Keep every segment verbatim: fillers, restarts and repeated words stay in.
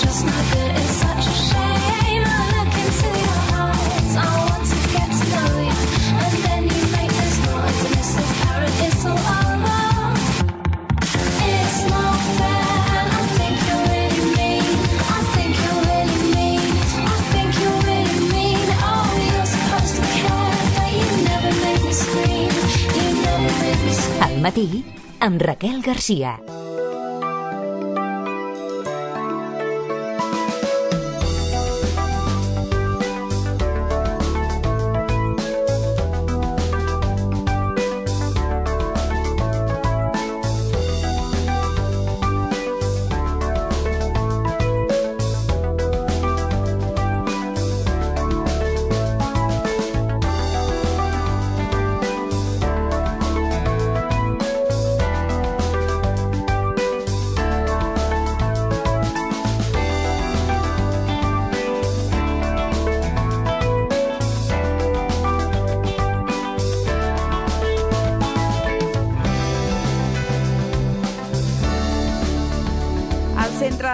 just not good. It's such a shame. I look into your eyes. I want to get to know you, and then you make this noise, and it's so apparent it's all over. It's not fair, and I think you're really mean. I think you're really mean. I think you're really mean. Oh, you're supposed to care, but you never make me scream. You never make me scream. Al matí, amb Raquel Garcia.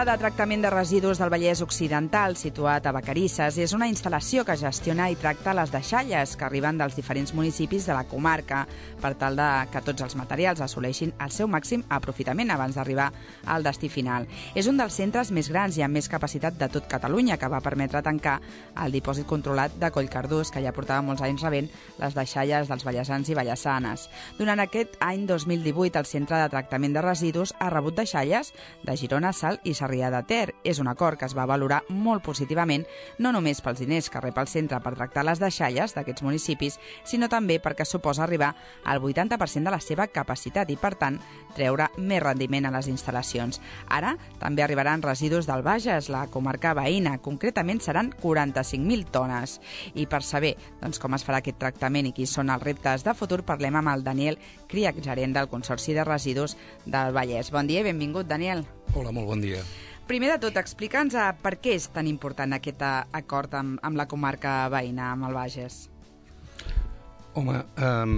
De tractament de residus del Vallès Occidental, situat a Vacarisses, és una instal·lació que gestiona i tracta les deixalles que arriben dels diferents municipis de la comarca per tal de que tots els materials assoleixin el seu màxim aprofitament abans d'arribar al destí final. És un dels centres més grans i amb més capacitat de tot Catalunya, que va permetre tancar el dipòsit controlat de Collcardús, que ja portava molts anys rebent les deixalles dels vallesans i vallessanes. Durant aquest any dos mil divuit, el Centre de Tractament de Residus ha rebut deixalles de Girona, Salt i Sarrià de Ter. És un acord que es va valorar molt positivament, no només pels diners que rep el centre per tractar les deixalles d'aquests municipis, sinó també perquè suposa arribar al vuitanta per cent de la seva capacitat i, per tant, treure més rendiment a les instal·lacions. Ara també arribaran residus del Bages, la comarca veïna. Concretament seran quaranta-cinc mil tones. I per saber doncs, com es farà aquest tractament i quins són els reptes de futur, parlem amb el Daniel Criach, gerent del Consorci de Residus del Vallès. Bon dia i benvingut, Daniel. Hola, molt bon dia. Primer de tot, explica'ns per què és tan important aquest acord amb, amb la comarca veïna, amb el Bages. Home, um,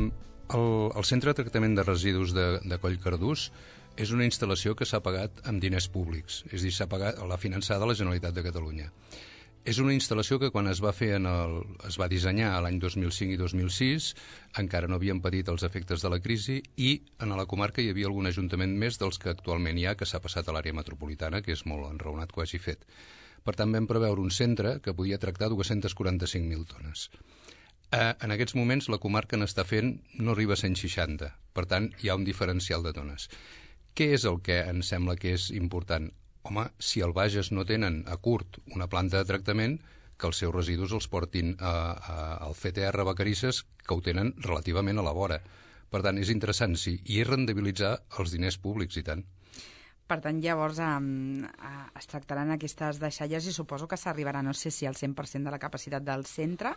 el, el Centre de Tractament de Residus de, de Collcardús és una instal·lació que s'ha pagat amb diners públics, és a dir, s'ha pagat a la finançada de la Generalitat de Catalunya. És una instal·lació que quan es va fer en el, es va dissenyar l'any dos mil cinc i dos mil sis, encara no havien patit els efectes de la crisi i en la comarca hi havia algun ajuntament més dels que actualment hi ha, que s'ha passat a l'àrea metropolitana, que és molt enraonat que ho hagi fet. Per tant, vam preveure un centre que podia tractar dos-cents quaranta-cinc mil tones. Eh, en aquests moments la comarca n'està fent, no arriba a cent seixanta, per tant hi ha un diferencial de tones. Què és el que ens sembla que és important? Home, si al Bages no tenen a curt una planta de tractament, que els seus residus els portin a, a, al C T R Vacarisses, que ho tenen relativament a la vora. Per tant, és interessant, sí, i és rendibilitzar els diners públics, i tant. Per tant, llavors um, uh, es tractaran aquestes deixalles i suposo que s'arribarà, no sé si al cent per cent de la capacitat del centre,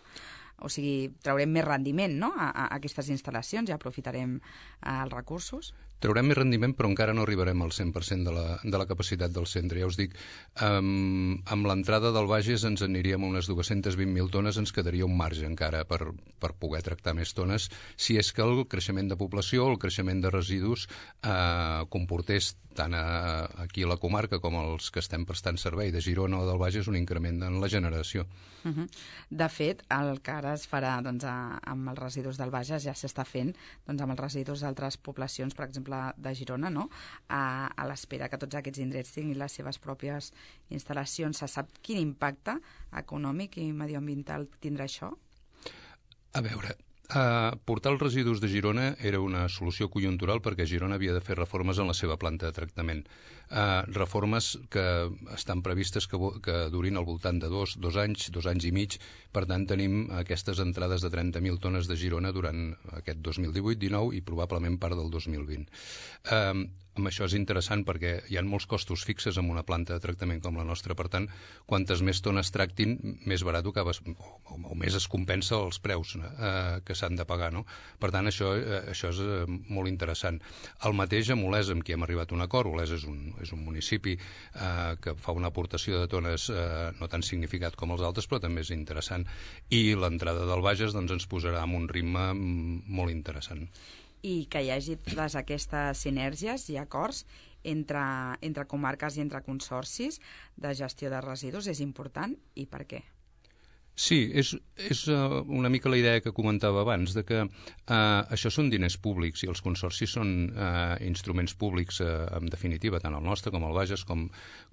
o sigui, traurem més rendiment, no?, a, a aquestes instal·lacions i aprofitarem uh, els recursos. Traurem més rendiment, però encara no arribarem al cent per cent de la, de la capacitat del centre. Ja us dic, um, amb l'entrada del Bages ens aniríem a unes dos-cents vint mil tones, ens quedaria un marge encara per, per poder tractar més tones, si és que el creixement de població, el creixement de residus eh, comportés tant a, aquí a la comarca com els que estem prestant servei de Girona o del Bages un increment en la generació. Uh -huh. De fet, el que ara es farà doncs, a, amb els residus del Bages ja s'està fent doncs, amb els residus d'altres poblacions, per exemple de Girona, no? a, a l'espera que tots aquests indrets tinguin les seves pròpies instal·lacions. Se sap quin impacte econòmic i medioambiental tindrà això? A veure, Uh, portar els residus de Girona era una solució conjuntural perquè Girona havia de fer reformes en la seva planta de tractament. Uh, reformes que estan previstes que, que durin al voltant de dos, dos anys, dos anys i mig. Per tant, tenim aquestes entrades de trenta mil tones de Girona durant aquest dos mil divuit dinou i probablement part del dos mil vint. Uh, amb això és interessant perquè hi ha molts costos fixes en una planta de tractament com la nostra. Per tant, quantes més tones tractin, més barat acabes, o, o, o més es compensa els preus eh, que s'han de pagar, no? Per tant, això, eh, això és eh, molt interessant. El mateix amb Olesa, amb qui hem arribat a un acord. Olesa és un, és un municipi eh, que fa una aportació de tones eh, no tan significat com els altres, però també és interessant. I l'entrada del Bages doncs, ens posarà en un ritme molt interessant. i que hi hagi totes aquestes sinergies i acords entre, entre comarques i entre consorcis de gestió de residus és important, i per què? Sí, és, és uh, una mica la idea que comentava abans, de que uh, això són diners públics i els consorcis són uh, instruments públics, uh, en definitiva, tant el nostre com el Bages, com,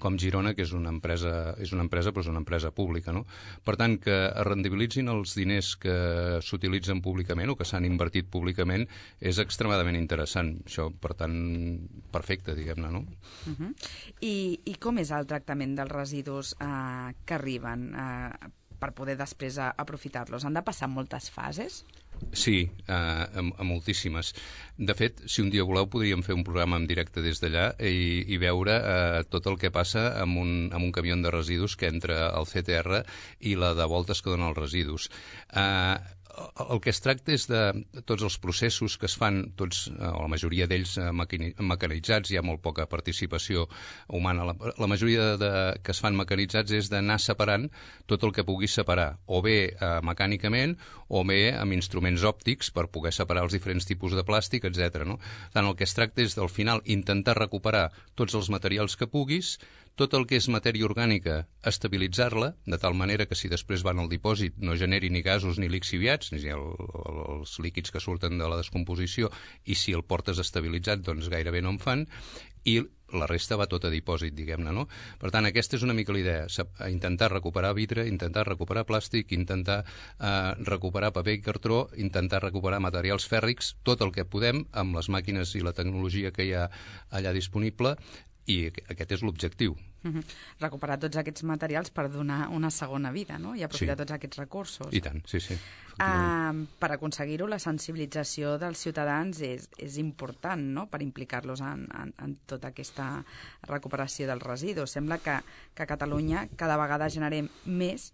com Girona, que és una empresa, és una empresa, però és una empresa pública, no? Per tant, que es rendibilitzin els diners que s'utilitzen públicament o que s'han invertit públicament és extremadament interessant. Això, per tant, perfecte, diguem-ne, no? Uh-huh. I, I com és el tractament dels residus uh, que arriben uh, per poder després aprofitar-los? Han de passar moltes fases? Sí, a, a, a moltíssimes. De fet, si un dia voleu, podríem fer un programa en directe des d'allà i, i veure eh, tot el que passa amb un, amb un camió de residus que entra al C T R i la de voltes que dona els residus. Eh, el que es tracta és de tots els processos que es fan, tots, o la majoria d'ells mecanitzats, hi ha molt poca participació humana. La, la majoria de, que es fan mecanitzats és d'anar separant tot el que pugui separar, o bé eh, mecànicament, o bé amb instruments òptics per poder separar els diferents tipus de plàstic, etcètera. No? Tant el que es tracta és, al final, intentar recuperar tots els materials que puguis, tot el que és matèria orgànica, estabilitzar-la, de tal manera que si després van al dipòsit no generi ni gasos ni lixiviats, ni el, el, els líquids que surten de la descomposició, i si el portes estabilitzat, doncs gairebé no en fan, i la resta va tot a dipòsit, diguem-ne, no? Per tant, aquesta és una mica la idea, intentar recuperar vidre, intentar recuperar plàstic, intentar eh, recuperar paper i cartró, intentar recuperar materials fèrrics, tot el que podem, amb les màquines i la tecnologia que hi ha allà disponible, i aquest és l'objectiu. Uh-huh. Recuperar tots aquests materials per donar una segona vida, no? I aprofitar sí. tots aquests recursos. I tant, sí, sí. Uh, per aconseguir-ho, la sensibilització dels ciutadans és, és important, no?, per implicar-los en, en, en tota aquesta recuperació dels residus. Sembla que, que a Catalunya cada vegada generem més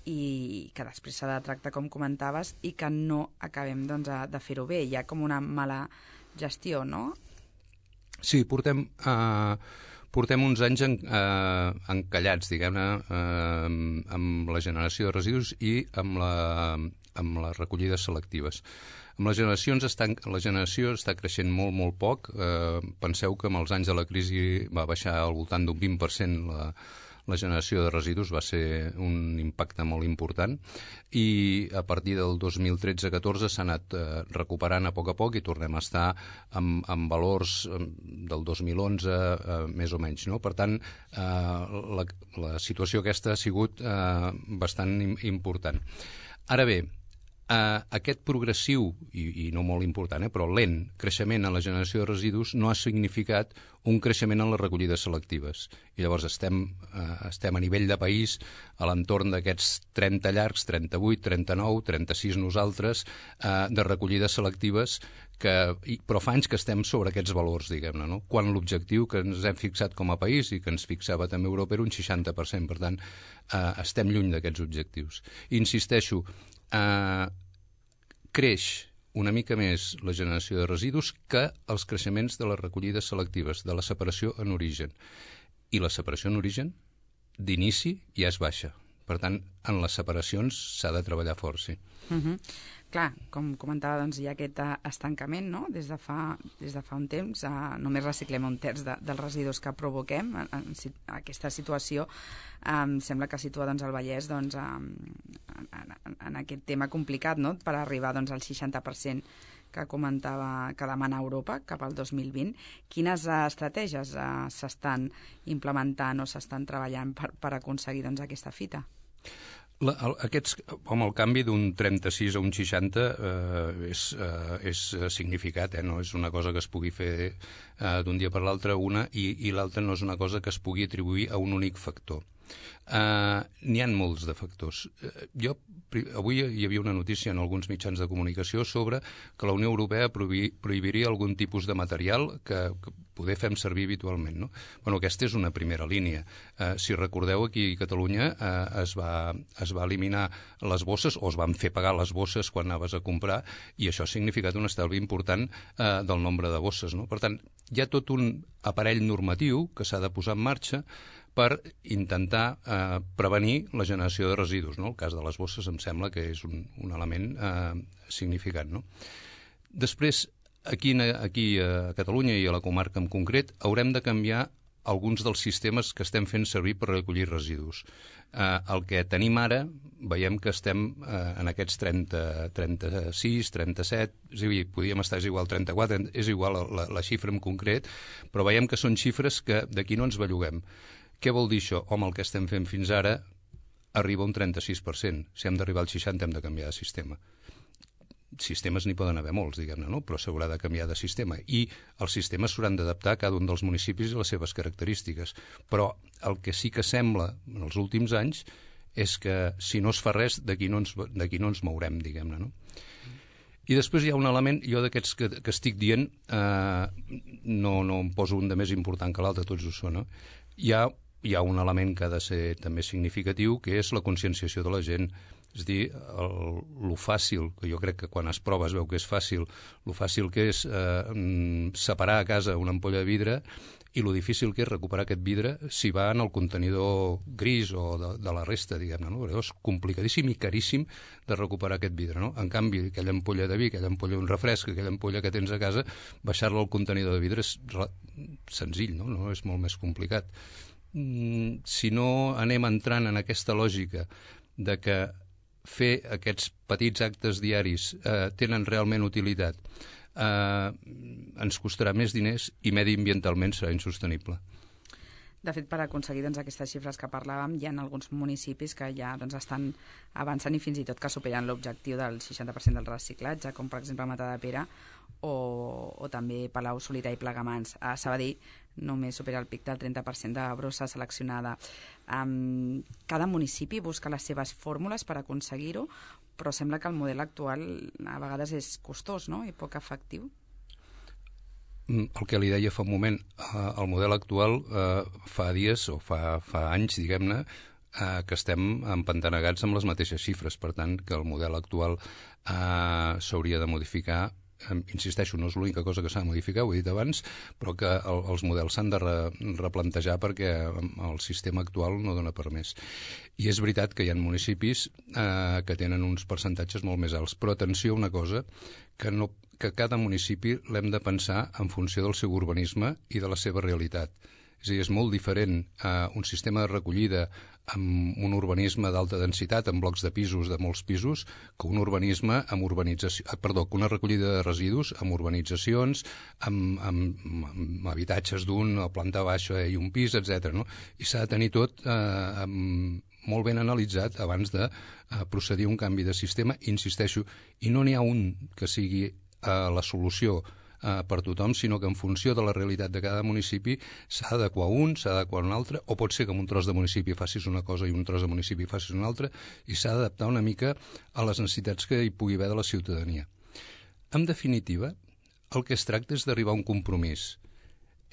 i que després s'ha de tractar, com comentaves, i que no acabem doncs, de fer-ho bé. Hi ha com una mala gestió, no? Sí, portem, eh, portem uns anys en, eh, encallats, diguem-ne, eh, amb la generació de residus i amb, la, amb les recollides selectives. Amb les generacions estan, la generació està creixent molt, molt poc. Eh, penseu que amb els anys de la crisi va baixar al voltant d'un vint per cent la, la generació de residus, va ser un impacte molt important, i a partir del dos mil tretze catorze s'ha anat eh, recuperant a poc a poc i tornem a estar amb, amb valors del dos mil onze, eh, més o menys. No? Per tant, eh, la, la situació aquesta ha sigut eh, bastant important. Ara bé, Uh, aquest progressiu, i, i no molt important, eh, però lent creixement en la generació de residus no ha significat un creixement en les recollides selectives. I llavors estem, uh, estem a nivell de país a l'entorn d'aquests trenta llargs, trenta-vuit, trenta-nou, trenta-sis nosaltres, uh, de recollides selectives, que, i, però fa anys que estem sobre aquests valors, diguem-ne, no? Quan l'objectiu que ens hem fixat com a país i que ens fixava també Europa era un seixanta per cent. Per tant, uh, estem lluny d'aquests objectius. I insisteixo, Uh, creix una mica més la generació de residus que els creixements de les recollides selectives, de la separació en origen. I la separació en origen, d'inici, ja és baixa. Per tant, en les separacions s'ha de treballar fort, sí. Uh-huh. Clar, com comentava, doncs, hi ha aquest estancament, no?, des de fa, des de fa un temps. Uh, només reciclem un terç de, dels residus que provoquem. En, en, en aquesta situació um, sembla que situa doncs, el Vallès doncs, um, en, en, en aquest tema complicat, no?, per arribar doncs, al seixanta per cent que comentava que demana Europa cap al dos mil vint. Quines uh, estratègies uh, s'estan implementant o s'estan treballant per, per aconseguir doncs, aquesta fita? La, el, aquests, home, el canvi d'un trenta-sis a un seixanta eh, és, eh, és significat, eh? No és una cosa que es pugui fer eh, d'un dia per l'altre una, i, i l'altra no és una cosa que es pugui atribuir a un únic factor. Uh, n'hi ha molts de factors. Uh, jo, avui hi havia una notícia en alguns mitjans de comunicació sobre que la Unió Europea prohibi, prohibiria algun tipus de material que, que poder fem servir habitualment. No? Bueno, aquesta és una primera línia. Uh, si recordeu, aquí a Catalunya uh, es, va, es va eliminar les bosses, o es van fer pagar les bosses quan anaves a comprar, i això ha significat un estalvi important uh, del nombre de bosses. No? Per tant, hi ha tot un aparell normatiu que s'ha de posar en marxa per intentar eh, prevenir la generació de residus. No? El cas de les bosses em sembla que és un, un element eh, significant. No? Després, aquí, aquí a Catalunya i a la comarca en concret haurem de canviar alguns dels sistemes que estem fent servir per recollir residus. Eh, el que tenim ara, veiem que estem eh, en aquests trenta, trenta-sis, trenta-set, és a dir, podríem estar és igual trenta-quatre, és igual la, la xifra en concret, però veiem que són xifres que d'aquí no ens belluguem. Què vol dir això? Home, el que estem fent fins ara arriba a un trenta-sis per cent. Si hem d'arribar al seixanta hem de canviar de sistema. Sistemes n'hi poden haver molts, diguem-ne, no? Però s'haurà de canviar de sistema. I els sistemes s'hauran d'adaptar a cada un dels municipis i les seves característiques. Però el que sí que sembla en els últims anys és que si no es fa res, d'aquí no, no ens mourem, diguem-ne, no? I després hi ha un element, jo d'aquests que, que estic dient, eh, no, no em poso un de més important que l'altre, tots ho són, no? Hi ha, hi ha un element que ha de ser també significatiu, que és la conscienciació de la gent. És a dir, el, lo fàcil, que jo crec que quan es prova es veu que és fàcil, lo fàcil que és eh, separar a casa una ampolla de vidre i lo difícil que és recuperar aquest vidre si va en el contenidor gris o de, de la resta, diguem-ne, no? És complicadíssim i caríssim de recuperar aquest vidre, no? En canvi, aquella ampolla de vi, aquella ampolla d'un refresc, aquella ampolla que tens a casa, baixar-la al contenidor de vidre és senzill, no? No és molt més complicat. Mm, si no anem entrant en aquesta lògica de que fer aquests petits actes diaris eh, tenen realment utilitat, eh, ens costarà més diners i mediambientalment serà insostenible. De fet, per aconseguir doncs, aquestes xifres que parlàvem, hi ha alguns municipis que ja doncs, estan avançant i fins i tot que superen l'objectiu del seixanta per cent del reciclatge, com per exemple Matadepera o, o també Palau, Solità i Plegamans. A Sabadell només supera el pic del trenta per cent de brossa seleccionada. Um, cada municipi busca les seves fórmules per aconseguir-ho, però sembla que el model actual a vegades és costós, no?, i poc efectiu. El que li deia fa un moment, eh, el model actual eh, fa dies o fa, fa anys, diguem-ne, eh, que estem empantanegats amb les mateixes xifres. Per tant, que el model actual eh, s'hauria de modificar. Eh, insisteixo, no és l'única cosa que s'ha de modificar, ho he dit abans, però que el, els models s'han de re, replantejar perquè el sistema actual no dona per més. I és veritat que hi ha municipis eh, que tenen uns percentatges molt més alts, però atenció a una cosa, que no que cada municipi l'hem de pensar en funció del seu urbanisme i de la seva realitat. És a dir, és molt diferent eh, un sistema de recollida amb un urbanisme d'alta densitat, amb blocs de pisos, de molts pisos, que un urbanisme amb urbanització... Eh, perdó, que una recollida de residus amb urbanitzacions, amb, amb, amb habitatges d'un, a planta baixa i un pis, etcètera. No? I s'ha de tenir tot eh, amb, molt ben analitzat abans de eh, procedir a un canvi de sistema. Insisteixo, i no n'hi ha un que sigui a la solució eh, per tothom, sinó que en funció de la realitat de cada municipi s'ha d'adequar un, s'ha d'adequar un altre, o pot ser que en un tros de municipi facis una cosa i un tros de municipi facis una altra, i s'ha d'adaptar una mica a les necessitats que hi pugui haver de la ciutadania. En definitiva, el que es tracta és d'arribar a un compromís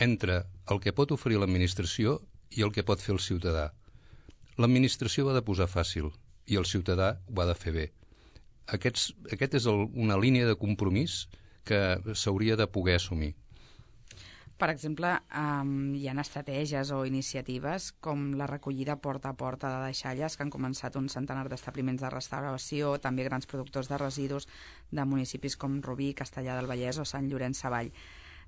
entre el que pot oferir l'administració i el que pot fer el ciutadà. L'administració ho ha de posar fàcil i el ciutadà ho ha de fer bé. Aquests, aquest és el, una línia de compromís que s'hauria de poder assumir. Per exemple, um, hi ha estratègies o iniciatives com la recollida porta a porta de deixalles que han començat un centenar d'establiments de restauració, també grans productors de residus de municipis com Rubí, Castellar del Vallès o Sant Llorenç Savall.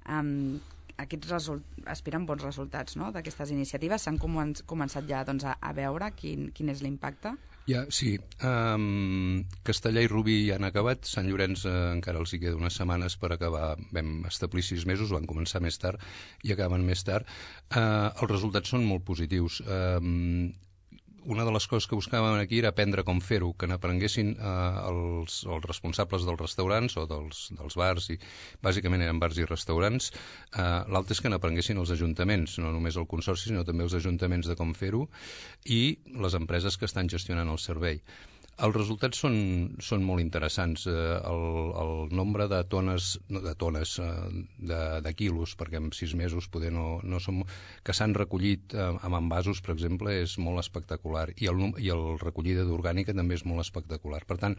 Um, aquests result... aspiren bons resultats, no?, d'aquestes iniciatives. S'han comen començat ja doncs, a, a veure quin, quin és l'impacte? Ja, sí. Um, Castellar i Rubí ja han acabat. Sant Llorenç uh, encara els hi queda unes setmanes per acabar. Vam establir sis mesos, van començar més tard i acaben més tard. Uh, els resultats són molt positius. Um, una de les coses que buscàvem aquí era aprendre com fer-ho, que n'aprenguessin eh, els, els responsables dels restaurants o dels, dels bars, i bàsicament eren bars i restaurants. Eh, L'altre és que n'aprenguessin els ajuntaments, no només el consorci, sinó també els ajuntaments de com fer-ho, i les empreses que estan gestionant el servei. Els resultats són, són molt interessants. Eh, el, el nombre de tones, no, de, tones eh, de, de quilos, perquè en sis mesos poder no, no som, que s'han recollit eh, amb envasos, per exemple, és molt espectacular. I el, i el recollida d'orgànica també és molt espectacular. Per tant,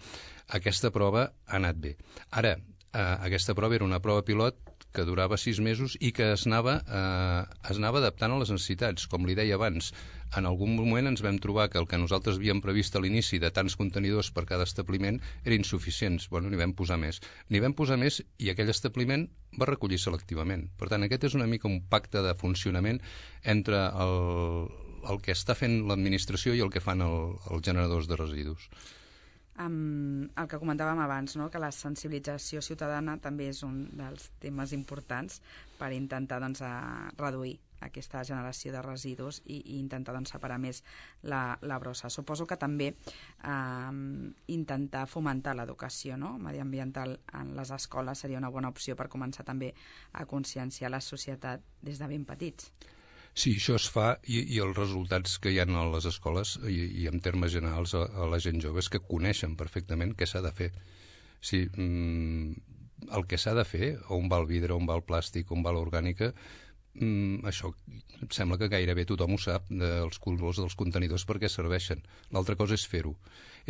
aquesta prova ha anat bé. Ara, eh, aquesta prova era una prova pilot que durava sis mesos i que es anava, eh, es anava adaptant a les necessitats. Com li deia abans, en algun moment ens vam trobar que el que nosaltres havíem previst a l'inici de tants contenidors per cada establiment era insuficients. Bueno, n'hi vam posar més. N'hi vam posar més i aquell establiment va recollir selectivament. Per tant, aquest és una mica un pacte de funcionament entre el, el que està fent l'administració i el que fan el, els generadors de residus. Um, el que comentàvem abans, no? Que la sensibilització ciutadana també és un dels temes importants per intentar doncs, a reduir aquesta generació de residus i, i intentar doncs, separar més la, la brossa. Suposo que també um, intentar fomentar l'educació, no? mediambiental en les escoles seria una bona opció per començar també a conscienciar la societat des de ben petits. Sí, això es fa i, i els resultats que hi ha a les escoles i, i en termes generals a, a la gent jove és que coneixen perfectament què s'ha de fer. Sí, mm, el que s'ha de fer, on va el vidre, on va el plàstic, on va l'orgànica, mm, això em sembla que gairebé tothom ho sap, dels colors dels contenidors per què serveixen. L'altra cosa és fer-ho.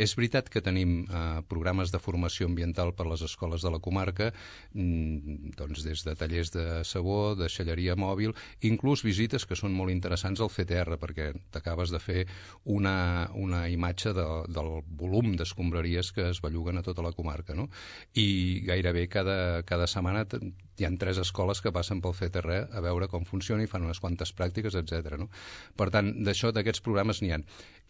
És veritat que tenim eh, programes de formació ambiental per a les escoles de la comarca, mm, doncs des de tallers de sabó, de deixalleria mòbil, inclús visites que són molt interessants al F T R, perquè t'acabes de fer una, una imatge de, del volum d'escombraries que es belluguen a tota la comarca, no? I gairebé cada, cada setmana hi ha tres escoles que passen pel F T R a veure com funciona i fan unes quantes pràctiques, etcètera. No? Per tant, d'això, d'aquests programes n'hi ha.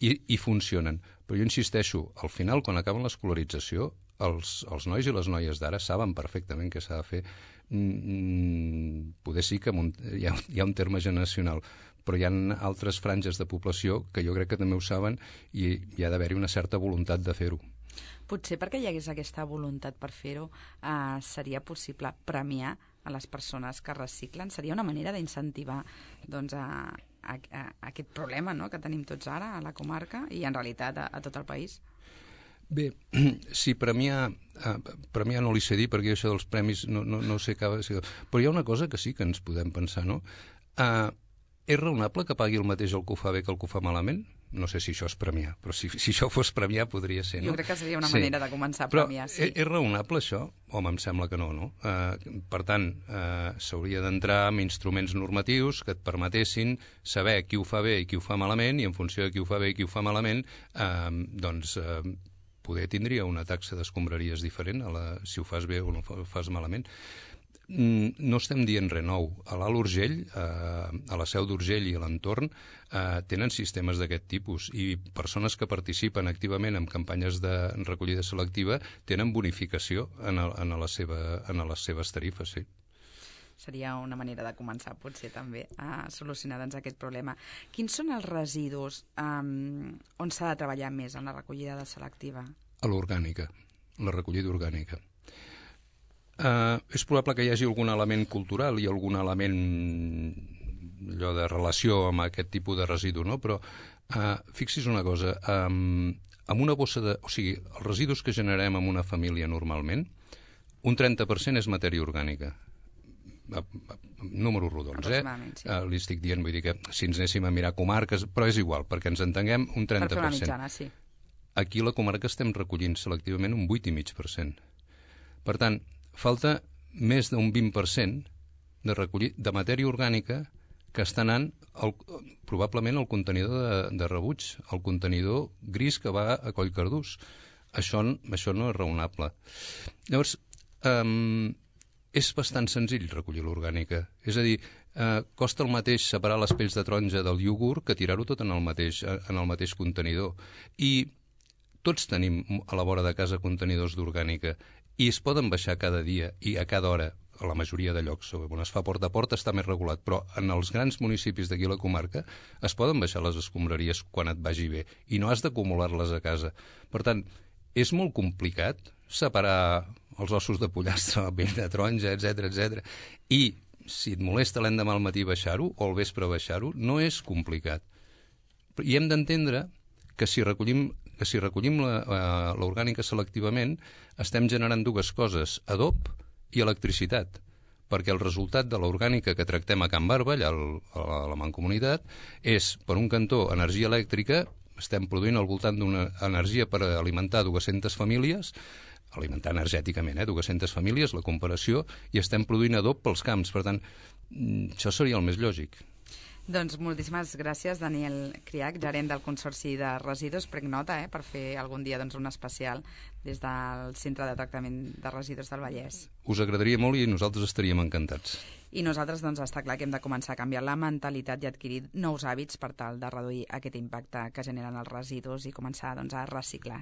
I, I funcionen. Però jo insisteixo, al final, quan acaben l'escolarització, els, els nois i les noies d'ara saben perfectament què s'ha de fer. Mm, poder sí que un, hi, ha, hi ha un terme generacional, però hi ha altres franges de població que jo crec que també ho saben i hi ha d'haver-hi una certa voluntat de fer-ho. Potser perquè hi hagués aquesta voluntat per fer-ho, eh, seria possible premiar a les persones que reciclen? Seria una manera d'incentivar doncs, a, a, a aquest problema, no?, que tenim tots ara a la comarca i en realitat a, a tot el país? Bé, sí, premiar, eh, premiar no li sé dir perquè això dels premis no, no, no sé cap... Però hi ha una cosa que sí que ens podem pensar, no? Eh, és raonable que pagui el mateix el que ho fa bé que el que ho fa malament? No sé si això és premiar, però si, si això fos premiar podria ser, no? Jo crec que seria una sí. manera de començar a però premiar, sí. És, és raonable això? Home, em sembla que no, no? Eh, per tant, eh, s'hauria d'entrar amb instruments normatius que et permetessin saber qui ho fa bé i qui ho fa malament, i en funció de qui ho fa bé i qui ho fa malament, eh, doncs eh, poder tindria una taxa d'escombraries diferent a la, si ho fas bé o no ho fas malament. No estem dient res nou. A l'Alt Urgell, eh, a la Seu d'Urgell i a l'entorn, eh, tenen sistemes d'aquest tipus i persones que participen activament en campanyes de recollida selectiva tenen bonificació en, el, en, la seva, en les seves tarifes, sí. Seria una manera de començar, potser, també, a solucionar doncs, aquest problema. Quins són els residus um, on s'ha de treballar més en la recollida de selectiva? A l'orgànica, la recollida orgànica. Uh, és probable que hi hagi algun element cultural i algun element allò de relació amb aquest tipus de residu, no? Però uh, fixi's una cosa, um, amb una bossa de... O sigui, els residus que generem en una família normalment, un trenta per cent és matèria orgànica. Números rodons, eh? Sí. Uh, li estic dient, vull dir que si ens anéssim a mirar comarques, però és igual, perquè ens entenguem, un trenta per cent. Per fer una mitjana, sí. Aquí a la comarca estem recollint selectivament un vuit coma cinc per cent. Per tant, falta més d'un vint per cent de recollir de matèria orgànica que està anant el, probablement al contenidor de, de rebuig, el contenidor gris que va a Collcardús. Això, això no és raonable. Llavors, um, és bastant senzill recollir l'orgànica. És a dir, eh, costa el mateix separar les pells de taronja del iogurt que tirar-ho tot en el mateix, en el mateix contenidor. I tots tenim a la vora de casa contenidors d'orgànica i es poden baixar cada dia i a cada hora, a la majoria de llocs. On es fa porta a porta està més regulat, però en els grans municipis d'aquí a la comarca es poden baixar les escombraries quan et vagi bé i no has d'acumular-les a casa. Per tant, és molt complicat separar els ossos de pollastre, la pell de taronja, etcètera, etcètera. I si et molesta l'endemà al matí baixar-ho o al vespre baixar-ho, no és complicat. I hem d'entendre que si recollim que si recollim l'orgànica selectivament estem generant dues coses, adob i electricitat, perquè el resultat de l'orgànica que tractem a Can Barba, allà a la Mancomunitat, és, per un cantó, energia elèctrica, estem produint al voltant d'una energia per alimentar dues-centes famílies, alimentar energèticament, eh, dues-centes famílies, la comparació, i estem produint adob pels camps. Per tant, això seria el més lògic. Doncs moltíssimes gràcies, Daniel Criach, gerent del Consorci de Residus, prenc nota, eh, per fer algun dia doncs, un especial des del Centre de Tractament de Residus del Vallès. Us agradaria molt i nosaltres estaríem encantats. I nosaltres doncs, està clar que hem de començar a canviar la mentalitat i adquirir nous hàbits per tal de reduir aquest impacte que generen els residus i començar doncs, a reciclar.